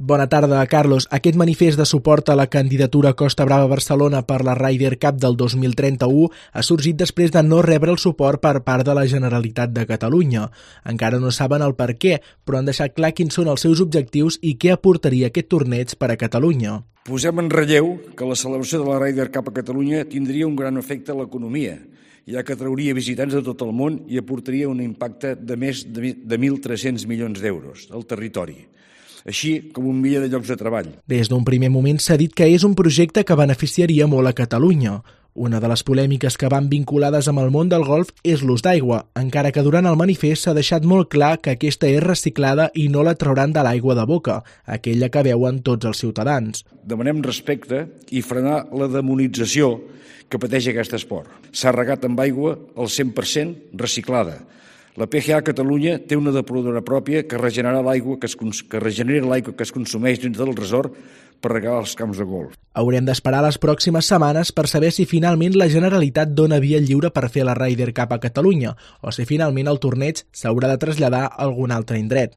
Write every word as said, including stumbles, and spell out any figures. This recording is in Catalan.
Bona tarda, Carlos. Aquest manifest de suport a la candidatura Costa Brava Barcelona per la Ryder Cup del dos mil trenta-u ha sorgit després de no rebre el suport per part de la Generalitat de Catalunya. Encara no saben el per què, però han deixat clar quins són els seus objectius i què aportaria aquest torneig per a Catalunya. Posem en relleu que la celebració de la Ryder Cup a Catalunya tindria un gran efecte a l'economia, ja que trauria visitants de tot el món i aportaria un impacte de més de mil tres-cents milions d'euros al territori, així com un miler de llocs de treball. Des d'un primer moment s'ha dit que és un projecte que beneficiaria molt a Catalunya. Una de les polèmiques que van vinculades amb el món del golf és l'ús d'aigua, encara que durant el manifest s'ha deixat molt clar que aquesta és reciclada i no la trauran de l'aigua de boca, aquella que beuen tots els ciutadans. Demanem respecte i frenar la demonització que pateix aquest esport. S'ha regat amb aigua al cent per cent reciclada. La P G A Catalunya té una depuradora pròpia que regenera l'aigua que, es, que regenera l'aigua que es consumeix dins del resort per regar els camps de golf. Haurem d'esperar les pròximes setmanes per saber si finalment la Generalitat dona via lliure per fer la Ryder Cup a Catalunya o si finalment el torneig s'haurà de traslladar a algun altre indret.